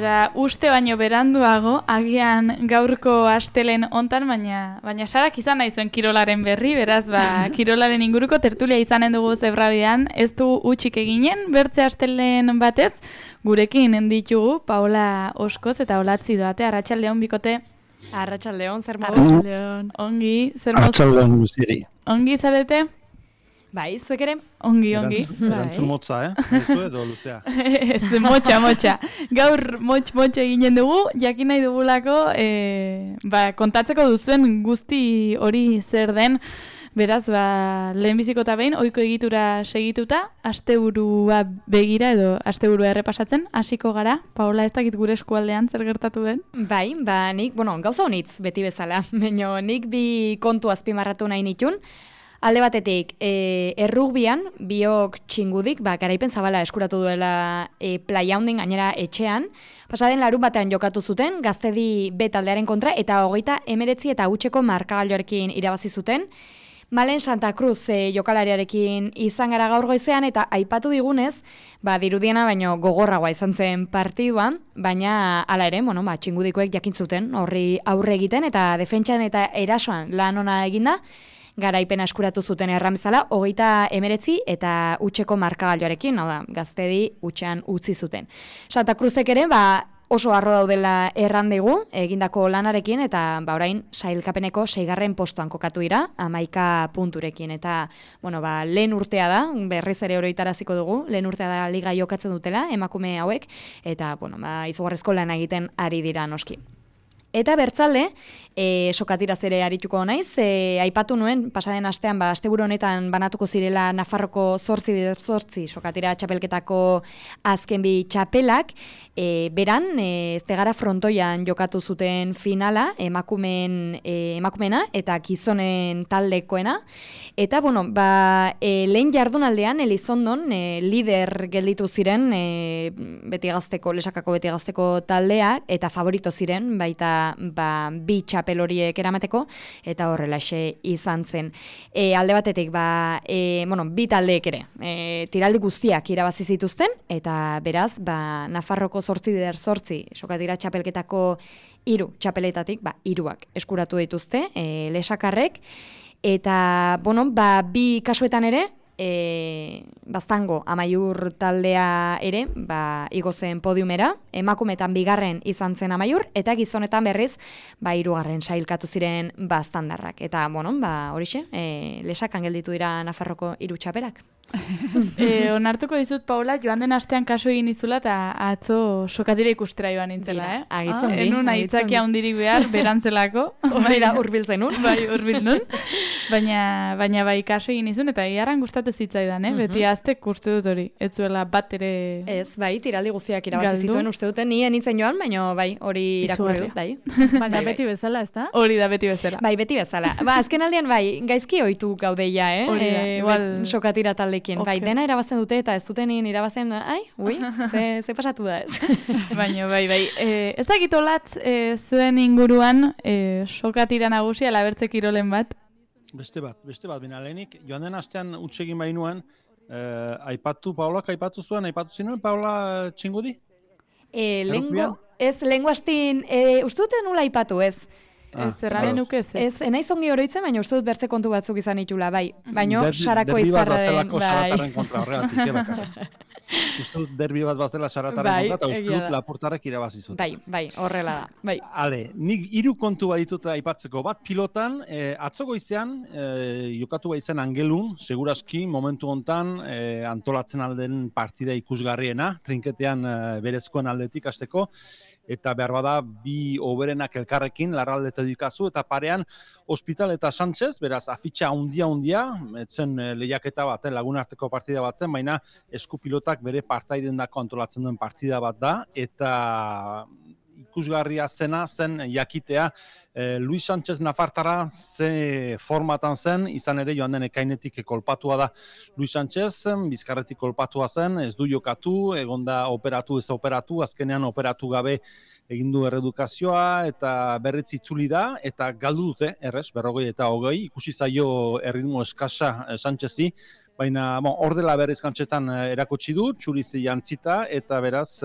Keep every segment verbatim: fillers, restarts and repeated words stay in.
Eta uste baino beranduago, agian gaurko astelen hontan, baina baina Sarak izan nahi zuen kirolaren berri, beraz, ba, kirolaren inguruko tertulia izanen dugu Zebrabidean, ez du utxik eginen, bertze astelen batez, gurekin ditugu Paola Oskoz eta Olatzi Doate, Arratsaldeon bikote. Arratsaldeon, zer moduz? Arratsaldeon, ongi, zer moduz? Arratsaldeon guztieri. Ongi zarete? Bai, zuek ere? Ongi, ongi. Erantzun motza, eh? Zuzu edo luzea. Ez, motxa, motxa. Gaur motx, motxa eginen dugu, jakin nahi dugulako, e, ba, kontatzeko duzuen guzti hori zer den, beraz, ba, lehenbiziko eta behin, ohiko egitura segituta, asteburua begira edo asteburua errepasatzen, hasiko gara. Paola, ez dakit gure eskualdean zer gertatu den? Bai, ba, nik, bueno, gauza honitz beti bezala, baina nik bi kontu azpimarratu nahi nitun. Alde batetik, e, errugbian, biok txingudik, ba, garaipen zabala eskuratu duela e, playa honden gainera etxean. Pasaden larun batean jokatu zuten, Gaztedi B taldearen kontra, eta hogeita emeretzi eta hutseko markagailuarekin irabazi zuten. Malen Santa Cruz e, jokalariarekin izan gara gaur goizean, eta aipatu digunez, ba, dirudiena baino gogorragoa izan zen partiduan, baina hala ere, bueno, ba, txingudikoek jakin zuten horri aurre egiten, eta defentsan eta erasoan lan ona eginda, garaipena eskuratu zuten erramezala, hogeita emeretzi eta hutseko markagailuarekin, hau da, Gaztedi hutsean utzi zuten. Santa Cruzek ere, ba, oso harro daudela errandigu, egindako lanarekin, eta ba, orain sailkapeneko seigarren postuan kokatu dira, hamaika punturekin, eta, bueno, ba, lehen urtea da, berriz ere oroitaraziko dugu, lehen urtea da liga jokatzen dutela, emakume hauek, eta, bueno, ba, izugarrizko lan egiten ari dira noski. Eta bertzalde, e, sokatiraz ere arituko naiz, e, aipatu nuen, pasaden astean, ba, asteburu honetan banatuko zirela Nafarroko zortzi zortzi sokatira txapelketako azken bi txapelak, e, beran, e, ez tegara frontoian jokatu zuten finala, emakumen, e, emakumena eta gizonen taldekoena, eta, bueno, ba, e, lehen jardunaldean, Elizondon, e, lider gelditu ziren, e, beti gazteko, lesakako beti gazteko taldea, eta favorito ziren, baita ba, bi txapel horiek eramateko, eta horrelaxe izan zen. E, alde batetik, ba, e, bueno, bi taldeek ere, e, tiraldi guztiak irabazi zituzten, eta beraz, ba, Nafarroko zortzi der zortzi, sokatira txapelketako hiru txapeletatik, ba, hiruak eskuratu dituzte, e, lesakarrek, eta, bueno, ba, bi kasuetan ere, E, Baztango Amaiur taldea ere, ba, igo zen podiumera, emakumetan bigarren izan zen Amaiur, eta gizonetan berriz, ba, hirugarren sailkatu ziren Baztandarrak. Eta, bueno, ba, horixe, e, lesakan gelditu dira Nafarroko hiru txapelak. e, onartuko dizut, Paula, joan den astean kasu egin izula eta atzo sokatira ikustera joan nintzela, eh? Agitzen ah, enun aitzakia hundirik behar, berantzelako. Baina urbil zenun. Bai, urbil nun. Baina, baina bai kasu egin izun, eta iarran gustatu zitzaidan, eh? Beti aztek uste dut hori, ez zuela bat ere... Ez, bai, tiraldi guztiak irabazi zituen uste duten, ni enitzen joan, baina bai, hori irakurri dut, bai. Baina bai, beti bezala, ez da? Hori da beti bezala. Bai, beti bezala. Ba, azken aldean, bai, gaizki ohitu gaudeia, eh? Hori da, e, igual... Sokatira taldekin. Okay. Bai, dena irabazten dute eta ez dutenin irabazten, ai, ui, ze, ze pasatu da ez. Baina, bai, bai. E, ez dakit olatz e, zuen inguruan e, sokatira nagusia labertze kirolen bat? Beste bat, beste bat, bina lehenik, joan den astean utsegin bainuan, eh, aipatu, Paolak aipatu zuen, aipatu zinuen, Paola txingudi? E, lengo, ez, lengo astin, e, uste dute nula aipatu ez. Ah, ez, erraren nuke ez. Ez, enaiz ongi oroitzen, baina uste dut bertze kontu batzuk izan itula, bai. Baina sarako izarren, bai. Kontra, horregatik, uste dut derbi bat bazela sarataren bai, kontra, eta uste dut Laportarek irabazi zuten. Bai, bai, horrela da. Bai. Ale, nik hiru kontu baditut aipatzeko, bat pilotan, eh, atzo goizean, eh, jokatu baizen Angelun, seguraski momentu hontan eh, antolatzen alden partida ikusgarriena, trinketean eh, berezkoen aldetik hasteko, eta behar bada bi oberenak elkarrekin larraldeta dikazu, eta parean Hospital eta Sánchez, beraz afitxa hundia-hundia, etzen lehiaketa bat, lagunarteko partida bat zen, baina eskupilotak bere partaiden dako antolatzen duen partida bat da, eta ikusgarria zena zen jakitea eh, Luis Sánchez Nafartara ze formatan zen, izan ere joan den ekainetik kolpatua da Luis Sánchez, bizkarretik kolpatua zen, ez du jokatu, egonda operatu ez operatu, azkenean operatu gabe egin du erredukazioa eta berriz itzuli da, eta galdu dute, errez, berrogei eta hogei, ikusi zaio erritmo eskasa Sánchezi, Baina, bon, hor dela berriz kantxetan erakutsi du, txuriz jantzita, eta beraz,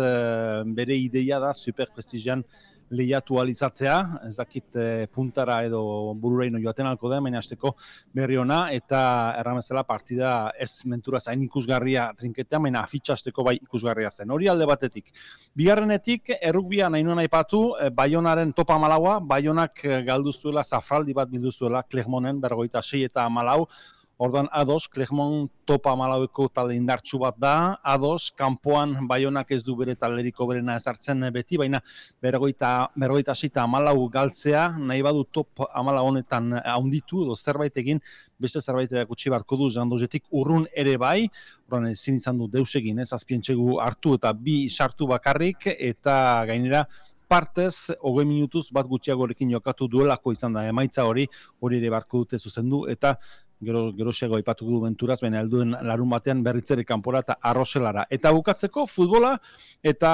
bere ideia da superprestigian lehiatu alizatzea, ez dakit e, puntara edo bururaino joaten alko da, baina hasteko berri ona, eta erramezela partida ez mentura zain ikusgarria trinketean, baina afitxa hasteko bai ikusgarria zen. Hori alde batetik. Bigarrenetik, errukbia nahi nuen aipatu, e, Baionaren topa malaua, Baionak galdu zuela, zafraldi bat bildu zuela, Clermonten, bergoita sei eta malau, ordan ados, Clermont topa malaueko talde indartsu bat da, ados, kanpoan Baionak ez du bere talderiko berena ezartzen beti, baina berrogeita seita amalau galtzea, nahi badu top amala honetan haunditu, edo zerbait egin, beste zerbait erakutsi barko du, jandozetik urrun ere bai, ordan ezin izan du deus egin, ez azpientxegu hartu eta bi sartu bakarrik, eta gainera, partez, hogei minutuz bat gutxiagorekin jokatu duelako izan da, emaitza hori, hori ere barko dute zuzendu, eta Gero, gerosiago aipatu du benturaz, baina helduen larun batean berritzere kanpora eta arroselara. Eta bukatzeko futbola, eta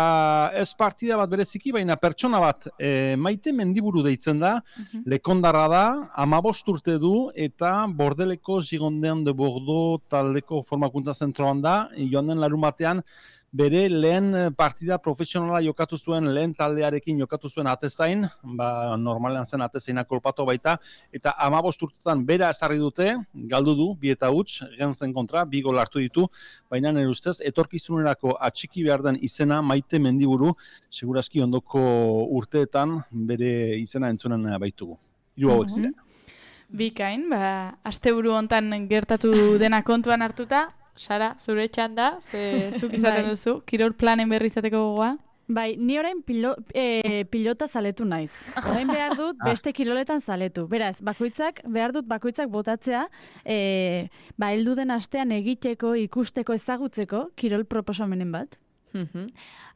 ez partida bat bereziki, baina pertsona bat e, Maite Mendiburu deitzen da, uh-huh. Lekondarra da, hamabost urte du, eta Bordeleko Gigondean de Bordeaux taldeko formakuntza zentroan da, joan den larun batean, bere lehen partida profesionala jokatu zuen, lehen taldearekin jokatu zuen atezain, ba, normalean zen atezaina kolpatu baita, eta hamabost urtetan bera ezarri dute, galdu du, bi eta huts, Gentzen kontra, bi gol hartu ditu, baina nire ustez, etorkizunerako atxiki behar den izena Maite Mendiburu, segurazki ondoko urteetan bere izena entzunen baitugu. Hiru hauek ziren. Bikain, ba, asteburu hontan gertatu dena kontuan hartuta, Sara, zure txanda, ze zuk izaten duzu, kirol planen berri izateko gogoa? Bai, ni orain pilo, e, pilota zaletu naiz. Orain behar dut beste kiroletan zaletu. Beraz, bakoitzak, behar dut bakoitzak botatzea, e, ba, heldu den astean egiteko, ikusteko, ezagutzeko, kirol proposamenen bat. Mm-hmm.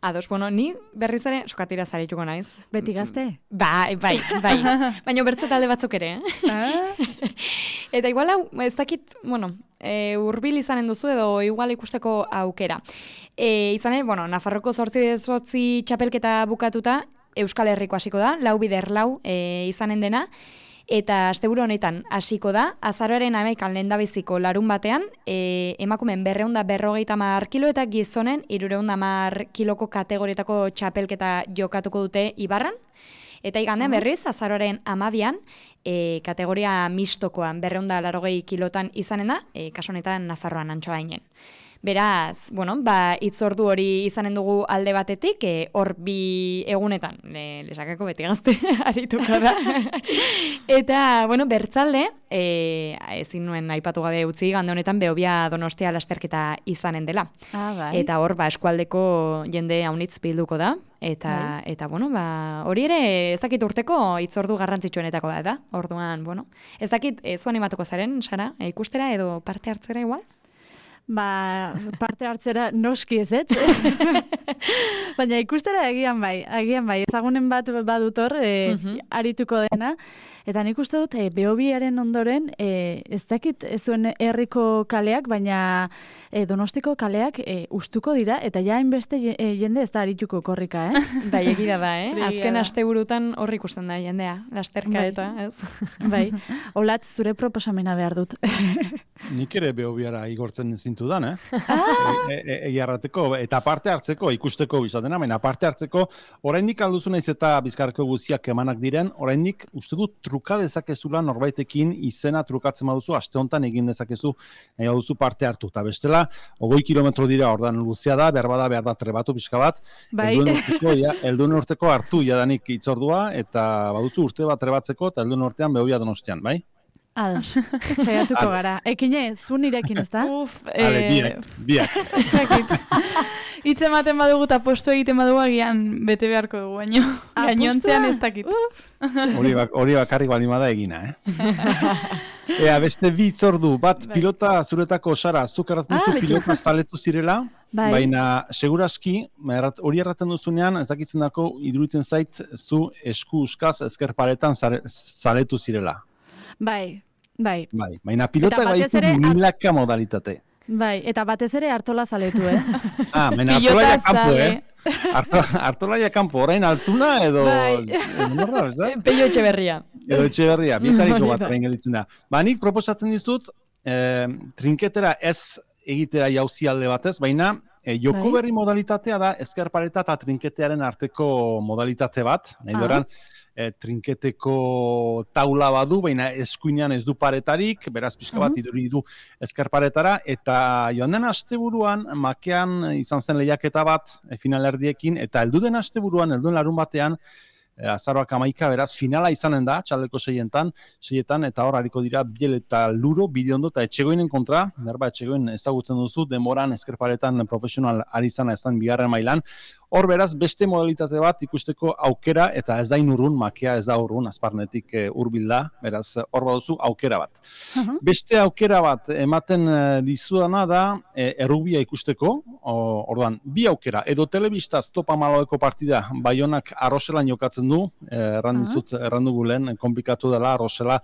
Ados, bueno, ni berriz ere sokatira zarituko naiz. Beti gazte? Bai, bai, bai. Baina bertze talde batzuk ere, eh? Ah. Eta igual hau, ez dakit, bueno, e, urbil izanen duzu edo igual ikusteko aukera. E, izanen, bueno, Nafarroko zortzi zortzi txapelketa bukatuta, Euskal Herriko hasiko da, lau bider lau e, izanen dena, eta asteburu honetan hasiko da, azaroaren hamaikan lehendabiziko larun batean, e, emakumen berrehun eta berrogeita hamar kilo eta gizonen hirurehun eta hamar kiloko kategorietako txapelketa jokatuko dute Ibarran. Eta igandean berriz, azaroaren hamabian, e, kategoria mistokoan berrehun eta laurogei kilotan izanen da, e, kasu honetan Nafarroan Antxoainen. Beraz, bueno, ba, itzordu hori izanen dugu alde batetik, e, hor bi egunetan, le, lesakako beti gazte arituko da. Eta, bueno, bertzalde, e, ezin nuen aipatu gabe utzi, gande honetan Behobia Donostia lasterketa izanen dela. Ah, bai. Eta hor, ba, eskualdeko jende haunitz bilduko da. Eta, bai. eta bueno, ba, hori ere, ez dakit urteko itzordu garrantzitsuenetako da, da? Orduan, bueno, ez dakit, e, zu animatuko zaren, Sara, e, ikustera edo parte hartzera igual? Ba, parte hartzera noski ez, ez? Baina ikustera egian bai, egian bai. Ezagunen bat badutor, e, uh-huh. arituko dena. Eta nik uste dut, e, Behobiaren ondoren, e, ez dakit ez zuen herriko kaleak, baina e, Donostiko kaleak e, ustuko dira, eta ja hainbeste e, jende ez da arituko korrika, eh? Bai, egida da, eh? Azken asteburutan horri ikusten da jendea, lasterka bai. Eta, ez? Bai, Olatz, zure proposamena behar dut. Nik ere Behobiara igortzen zintudan, eh? Ah! Egi arrateko, eta parte hartzeko, ikusteko bizatena, baina parte hartzeko, oraindik alduzu naiz eta Bizkarreko guziak emanak diren, oraindik uste dut truka dezakezula norbaitekin izena trukatzen baduzu, aste honetan egin dezakezu nahi baduzu parte hartu. Eta bestela, hogei kilometro dira ordan luzea da, behar bada, behar da trebatu pixka bat, bai. Helduen urteko, ja, helduen urteko hartu jadanik itzordua, eta baduzu urte bat trebatzeko, eta helduen urtean Behobia Donostian, bai? Ados, saiatuko gara. Ekine, zu nirekin, ez da? Uf, Ale, eh, biak, biak. Hitz ematen badugu eta postu egiten badugu agian bete beharko dugu, baino. Gainontzean ez dakit. Hori bak, bakarrik balimada egina, eh? Ea, beste bi itzordu, bat bai. Pilota zuretako, Sara, zuk erraten duzu ah, pilota zaletu zirela, bai. Baina seguraski, hori erraten duzunean, ez dakitzen dako, iduritzen zait, zu esku uskaz ezker paretan zaletu zirela. Bai, bai. Bai, baina pilota gaitu milaka modalitate. Bai, eta batez ere Artola zaletu, eh? Ah, baina Artola kanpo, eh? Artola kanpo, orain Altuna edo... Bai. Norda, ez da? Peio Etxeberria. Edo Etxeberria, bietariko bat orain gelitzen da. Ba, nik proposatzen dizut, e, trinketera ez egitera jauzi alde batez, baina e, joko berri modalitatea da ezker pareta eta trinketearen arteko modalitate bat, nahi doran, e, trinketeko taula badu, baina eskuinean ez du paretarik, beraz pixka bat iduri du ezker paretara, eta joan den asteburuan, makean izan zen lehiaketa bat e, finalerdiekin, eta heldu den asteburuan, helduen larun batean, azaroak amaika, beraz, finala izanen da, txaldeko seietan, seietan, eta hor hariko dira biel eta luro, bideondo eta etxegoinen kontra, berba etxegoin ezagutzen duzu, denboran ezkerparetan profesional ari izana ezan bigarren mailan, hor beraz, beste modalitate bat ikusteko aukera, eta ez da inurrun, makea ez da urrun, azparnetik e, urbil da, beraz, hor baduzu aukera bat. Uh-huh. Beste aukera bat ematen e, dizudana da, e, errugbia ikusteko, orduan, bi aukera, edo telebistaz topa malaueko partida, Baionak Arroselan jokatzen du, errandizut, uh-huh. errandugu lehen, komplikatu dela, Arrosela,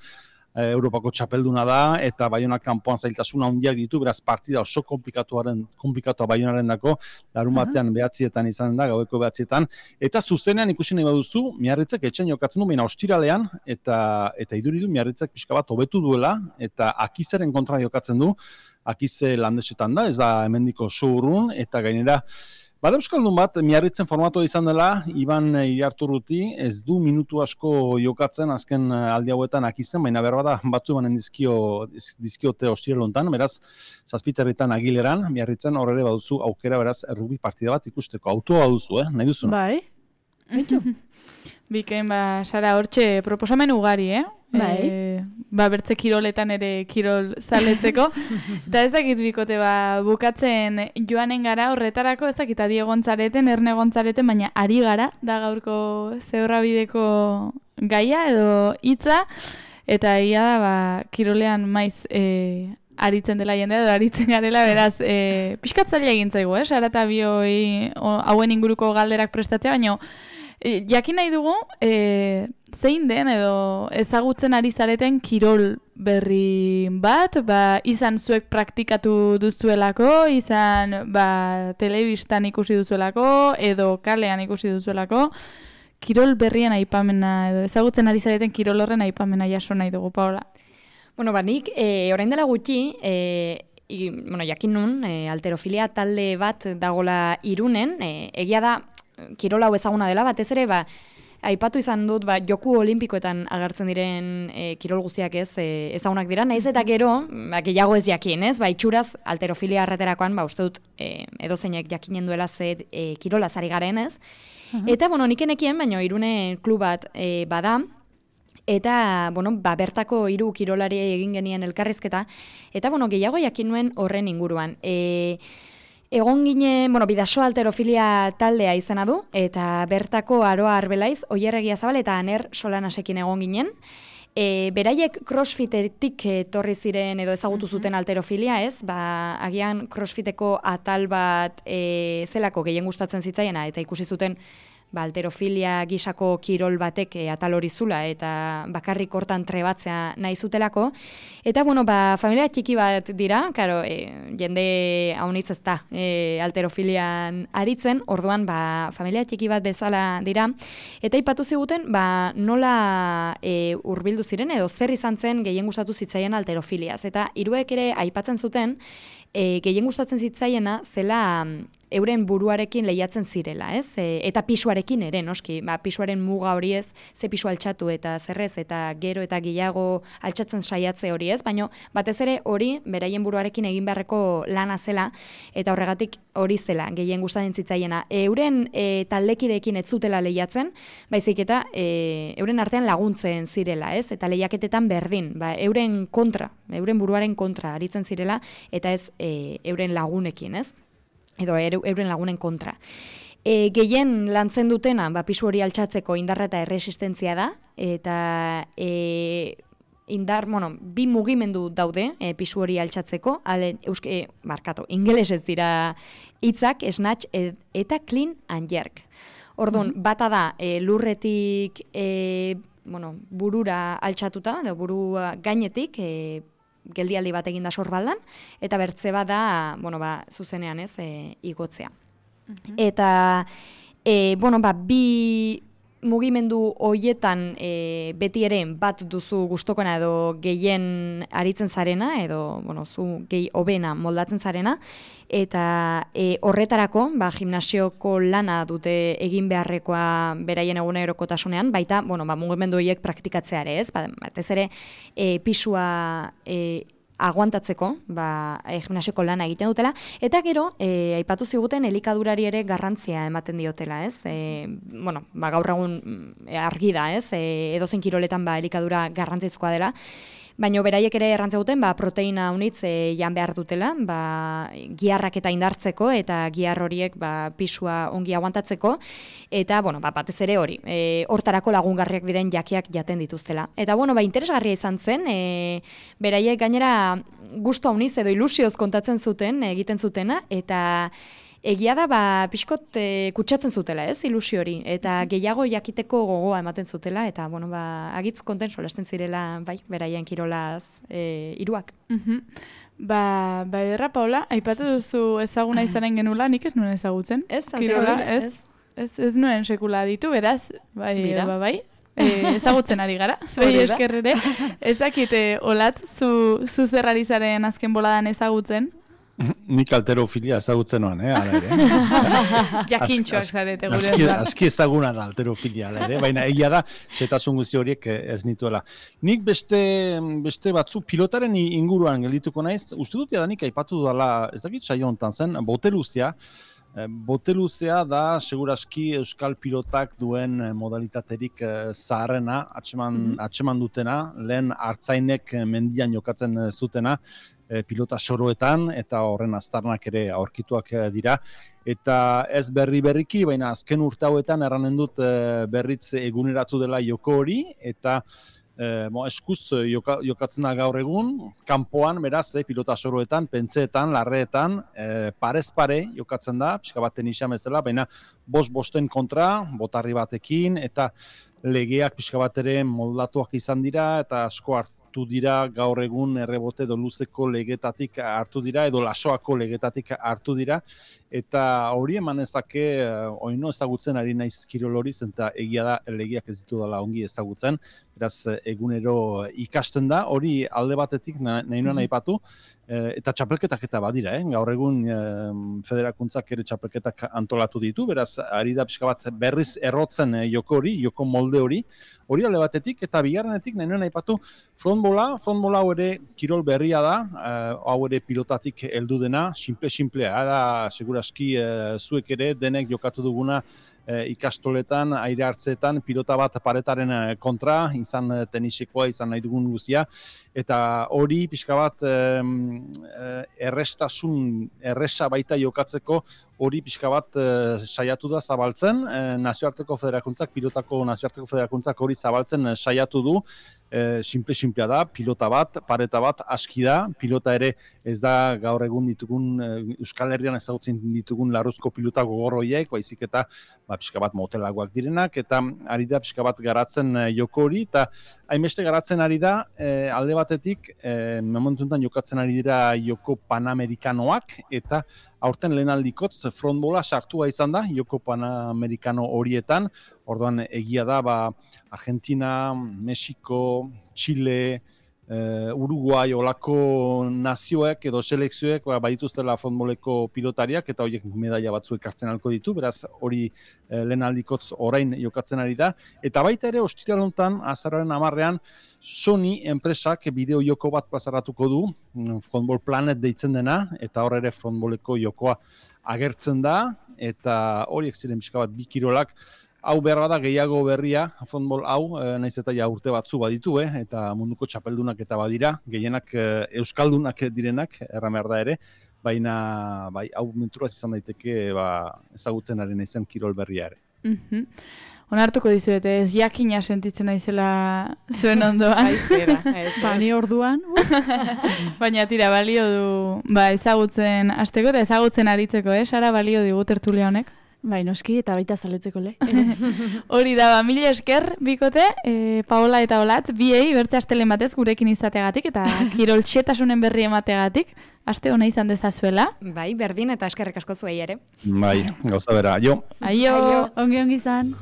Europako txapelduna da, eta Baionak kanpoan zailtasuna handiak ditu, beraz partida oso komplikatuaren, komplikatuak Baionaren dako, larun batean uh-huh. behatzietan izan da, gaueko behatzietan, eta zuzenean ikusi nahi baduzu, Miarritzek etxen jokatzen du, baina ostiralean, eta eta iduridu Miarritzek pixka bat hobetu duela, eta Akizeren kontra jokatzen du, Akize landesetan da, ez da hemendiko oso urrun, eta gainera, bada euskaldun bat, Miarritzen formatua izan dela, Iban Iriarturruti, ez du minutu asko jokatzen azken aldi hauetan Akizen, baina behar bada batzu banen dizkio, dizkiote ostirelontan, beraz, zazpiterritan Agileran, Miarritzen horre ere baduzu aukera, beraz, errubi partida bat ikusteko. Autoa baduzu, eh? Nahi duzu? Bai. Bikain, ba, Sara, hortxe proposamen ugari, eh? Bai. E, ba, bertze kiroletan ere kirol zaletzeko. Eta ez dakit bikote, ba, bukatzen joanen gara horretarako, ez dakit adi egontzareten, erne egontzareten, baina ari gara, da gaurko zehorrabideko gaia edo hitza, eta egia da, ba, kirolean maiz e, aritzen dela jendea, edo aritzen garela, beraz, e, pixkat zaila egin zaigu, eh? Sara eta bioi hauen inguruko galderak prestatzea, baina jakin nahi dugu, e, zein den edo ezagutzen ari zareten kirol berri bat, ba, izan zuek praktikatu duzuelako, izan ba, telebistan ikusi duzuelako, edo kalean ikusi duzuelako, kirol berrien aipamena, edo ezagutzen ari zareten kirol horren aipamena jaso nahi dugu, Paola. Bueno, ba, nik, e, orain dela gutxi, e, i, bueno, jakin nun, e, alterofilia talde bat dagola Irunen, e, egia da, kirol hau ezaguna dela, batez ere, ba, aipatu izan dut, ba, joku olimpikoetan agertzen diren e, kirol guztiak ez, e, ezagunak dira, nahiz eta gero, ba, gehiago ez jakin, ez, ba, itxuraz, alterofilia arreterakoan, ba, uste dut, e, edozeinek jakinen duela ze e, kirola zari garen, ez, uh-huh. Eta, bueno, nikenekien, baina Irune klub bat e, bada, eta, bueno, ba, bertako hiru kirolari egin genien elkarrizketa, eta, bueno, gehiago jakin nuen horren inguruan. E, Egon ginen, bueno, Bidasoa alterofilia taldea izena du, eta bertako Aroa Arbelaiz, Oierregia Zabal eta Aner Solanasekin egon ginen. E, beraiek crossfitetik etorri ziren edo ezagutu zuten alterofilia, ez? Ba, agian crossfiteko atal bat e, zelako gehien gustatzen zitzaiena, eta ikusi zuten ba, alterofilia gisako kirol batek e, atal hori zula, eta bakarrik hortan trebatzea nahi zutelako. Eta, bueno, ba, familia txiki bat dira, karo, e, jende haunitz ez da e, alterofilian aritzen, orduan, ba, familia txiki bat bezala dira, eta ipatu ziguten, ba, nola e, hurbildu ziren, edo zer izan zen gehien gustatu zitzaien alterofiliaz. Eta hiruek ere aipatzen zuten, e, gehien gustatzen zitzaiena zela euren buruarekin lehiatzen zirela, ez? E, eta pisuarekin ere, noski, ba, pisuaren muga hori ez, ze pisu altxatu eta zerrez, eta gero eta gehiago altxatzen saiatze hori ez, baina batez ere hori beraien buruarekin egin beharreko lana zela, eta horregatik hori zela, gehien gustatzen zitzaiena. Euren e, taldekideekin ez zutela lehiatzen, baizik eta e, euren artean laguntzen zirela, ez? Eta lehiaketetan berdin, ba, euren kontra, euren buruaren kontra aritzen zirela, eta ez e, euren lagunekin, ez? Edo euren lagunen kontra. E, gehien lantzen dutena, ba, pisu hori altxatzeko indarra eta erresistentzia da, eta e, indar, bueno, bi mugimendu daude e, pisu hori altxatzeko, ale, euske, e, markatu, ingeles ez dira hitzak, snatch ed, eta clean and jerk. Orduan, mm-hmm. bata da, e, lurretik e, bueno, burura altxatuta, edo burua gainetik, e, geldialdi bat egin da sorbaldan, eta bertze bat da, bueno, ba, zuzenean ez, e, igotzea. Uh-huh. Eta, e, bueno, ba, bi mugimendu hoietan e, beti ere bat duzu gustokona edo gehien aritzen zarena, edo bueno, zu gehi hobena moldatzen zarena, eta e, horretarako ba, gimnasioko lana dute egin beharrekoa beraien egunerokotasunean, baita bueno, ba, mugimendu horiek praktikatzea ere, ez? Ba, batez ere e, pisua e, aguantatzeko, ba, e, gimnasioko lana egiten dutela, eta gero, e, aipatu ziguten elikadurari ere garrantzia ematen diotela, ez? E, bueno, ba, gaur egun e, argi da, ez? E, edozein kiroletan ba, elikadura garrantzizkoa dela, baina beraiek ere errantza duten ba, proteina unitz e, jan behar dutela, ba, giharrak eta indartzeko, eta gihar horiek ba, pisua ongi aguantatzeko, eta bueno, ba, batez ere hori, e, hortarako lagungarriak diren jakiak jaten dituztela. Eta bueno, ba, interesgarria izan zen, e, beraiek gainera gustu hauniz edo ilusioz kontatzen zuten, egiten zutena, eta egia da, ba, pixkot e, kutsatzen zutela, ez, ilusio hori, eta gehiago jakiteko gogoa ematen zutela, eta, bueno, ba, agitz konten solasten zirela, bai, beraien kirolaz e, iruak. Mhm. Ba, ba, erra, Paula, aipatu duzu ezaguna izanen genula, nik ez nuen ezagutzen. Ez, kirola, ez, ez, ez, ez nuen sekula ditu, beraz, bai, ba, bai, e, ezagutzen ari gara, zuei eskerrere. Ezakite, olat, zu, zu zerrari zaren azken boladan ezagutzen? Nik alterofilia ezagutzen noan, eh, ala ere. Jakintxoak zarete gure. Aski, aski ezagunan alterofilia, ala ere, baina egia da, setasun guzti horiek ez nituela. Nik beste, beste batzu pilotaren inguruan geldituko naiz, uste dut jadanik aipatu dela, ez dakit saio hontan zen, boteluzia. Boteluzea da, seguraski euskal pilotak duen modalitaterik zaharrena, atxeman, mm-hmm. atxeman dutena, lehen hartzainek mendian jokatzen zutena, pilota soroetan, eta horren aztarnak ere aurkituak dira. Eta ez berri berriki, baina azken urte hauetan erranen dut berritz eguneratu dela joko hori, eta E, mo, eskuz joka, jokatzen da gaur egun, kanpoan, beraz, eh, pilota soroetan, pentseetan, larreetan, e, parez pare jokatzen da, pixka baten isam ezela, baina bost-bosten kontra, botarri batekin, eta legeak pixka bat ere moldatuak izan dira, eta asko hartu dira gaur egun errebote edo luzeko legetatik hartu dira, edo lasoako legetatik hartu dira, eta hori eman ezake, oino ezagutzen ari naiz kirol hori, eta egia da legeak ez ditu dela ongi ezagutzen, beraz egunero ikasten da, hori alde batetik nahi nuen aipatu, eta txapelketak eta badira, eh? Gaur egun federakuntzak ere txapelketak antolatu ditu, beraz ari da pixka bat berriz errotzen joko hori, joko molde hori, hori alde batetik, eta bigarrenetik nahi nuen aipatu frontbola, frontbola hau ere kirol berria da, hau ere pilotatik heldu dena, simple-simplea, da seguraski zuek ere denek jokatu duguna ikastoletan, aire hartzeetan, pilota bat paretaren kontra, izan tenisekoa, izan nahi dugun guzia, eta hori pixka bat errestasun, erresa baita jokatzeko, hori pixka bat saiatu da zabaltzen, nazioarteko federakuntzak, pilotako nazioarteko federakuntzak hori zabaltzen saiatu du, simple-simplea da, pilota bat, pareta bat, aski da, pilota ere ez da gaur egun ditugun, Euskal Herrian ezagutzen ditugun larruzko pilota gogorroiek, baizik eta ba, pixka bat motelagoak direnak, eta ari da pixka bat garatzen joko hori, eta hainbeste garatzen ari da, e, alde batetik, e, momentuntan jokatzen ari dira joko panamerikanoak, eta aurten lehenaldikotz frontbola sartua izan da, joko panamerikano horietan, orduan egia da, ba, Argentina, Mexiko, Chile, Uh, Uruguai olako nazioek edo selekzioek ba, badituztela frontboleko pilotariak eta horiek medaila batzuek hartzen alko ditu, beraz hori uh, lehen aldikotz orain jokatzen ari da. Eta baita ere, ostiral honetan, azaroaren hamarrean, Sony enpresak bideo joko bat plazaratuko du, Frontball Planet deitzen dena, eta hor ere frontboleko jokoa agertzen da, eta horiek ziren pixka bat bi kirolak, hau behar da gehiago berria, frontball hau, e, naiz eta ja urte batzu baditu, eh, eta munduko txapeldunak eta badira, gehienak e, euskaldunak direnak, erran behar da ere, baina bai, hau menturaz izan daiteke ba, ezagutzen ari naizen kirol berria ere. Mm-hmm. Onartuko dizuete, ez jakina sentitzen naizela zuen ondoan. Aizera, Bani orduan. Baina tira, balio du ba, ezagutzen hasteko eta ezagutzen aritzeko, eh? Sara, balio digu tertulia honek. Bai, noski, eta baita zaletzeko le. Hori da, ba, mila esker, bikote, e, Paola eta Olatz, biei, bertze astelen batez gurekin izateagatik, eta kiroltxetasunen berri emateagatik, aste hona izan dezazuela. Bai, berdin eta eskerrik asko zuei ere. Bai, gauza bera, jo. Aio. Ongi ongi izan.